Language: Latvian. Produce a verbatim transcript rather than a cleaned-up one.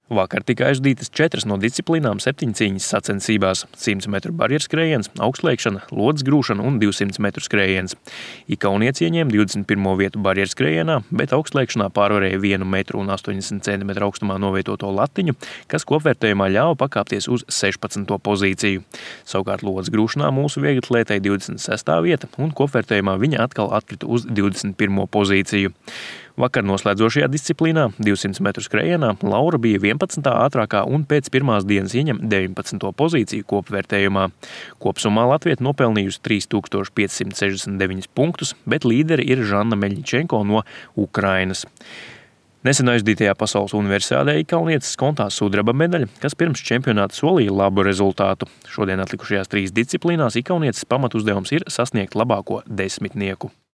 Vakar tika aizdītas četras no disciplīnām septiņcīņas sacensībās – simts metru barjerskrējiens, augstslēgšana, lodes grūšana un divsimt metru skrējiens. Ikaunietis ieņēma divdesmit pirmo vietu barjerskrējienā, bet augstslēgšanā pārvarēja vienu metru un astoņdesmit centimetru augstumā novietoto latiņu, kas kopvērtējumā ļāva pakāpties uz sešpadsmito pozīciju. Savukārt lodes grūšanā mūsu vieglatlētei divdesmit sestā vieta un kopvērtējumā viņa atkal atkrita uz divdesmit pirmo pozīciju. Vakar noslēdzošajā disciplīnā divsimt metru skrējienā Laura bija vienpadsmitā ātrākā un pēc pirmās dienas ieņem deviņpadsmito pozīciju kopvērtējumā. Kopsumā latviete nopelnījusi trīs tūkstoši piecsimt sešdesmit deviņus punktus, bet līderi ir Žanna Meļņičenko no Ukrainas. Nesen aizdītajā pasaules universiādē ikaunietes skontā sudraba medaļa, kas pirms čempionāta solīja labu rezultātu. Šodien atlikušajās trīs disciplīnās ikaunietes pamatuzdevums ir sasniegt labāko desmitnieku.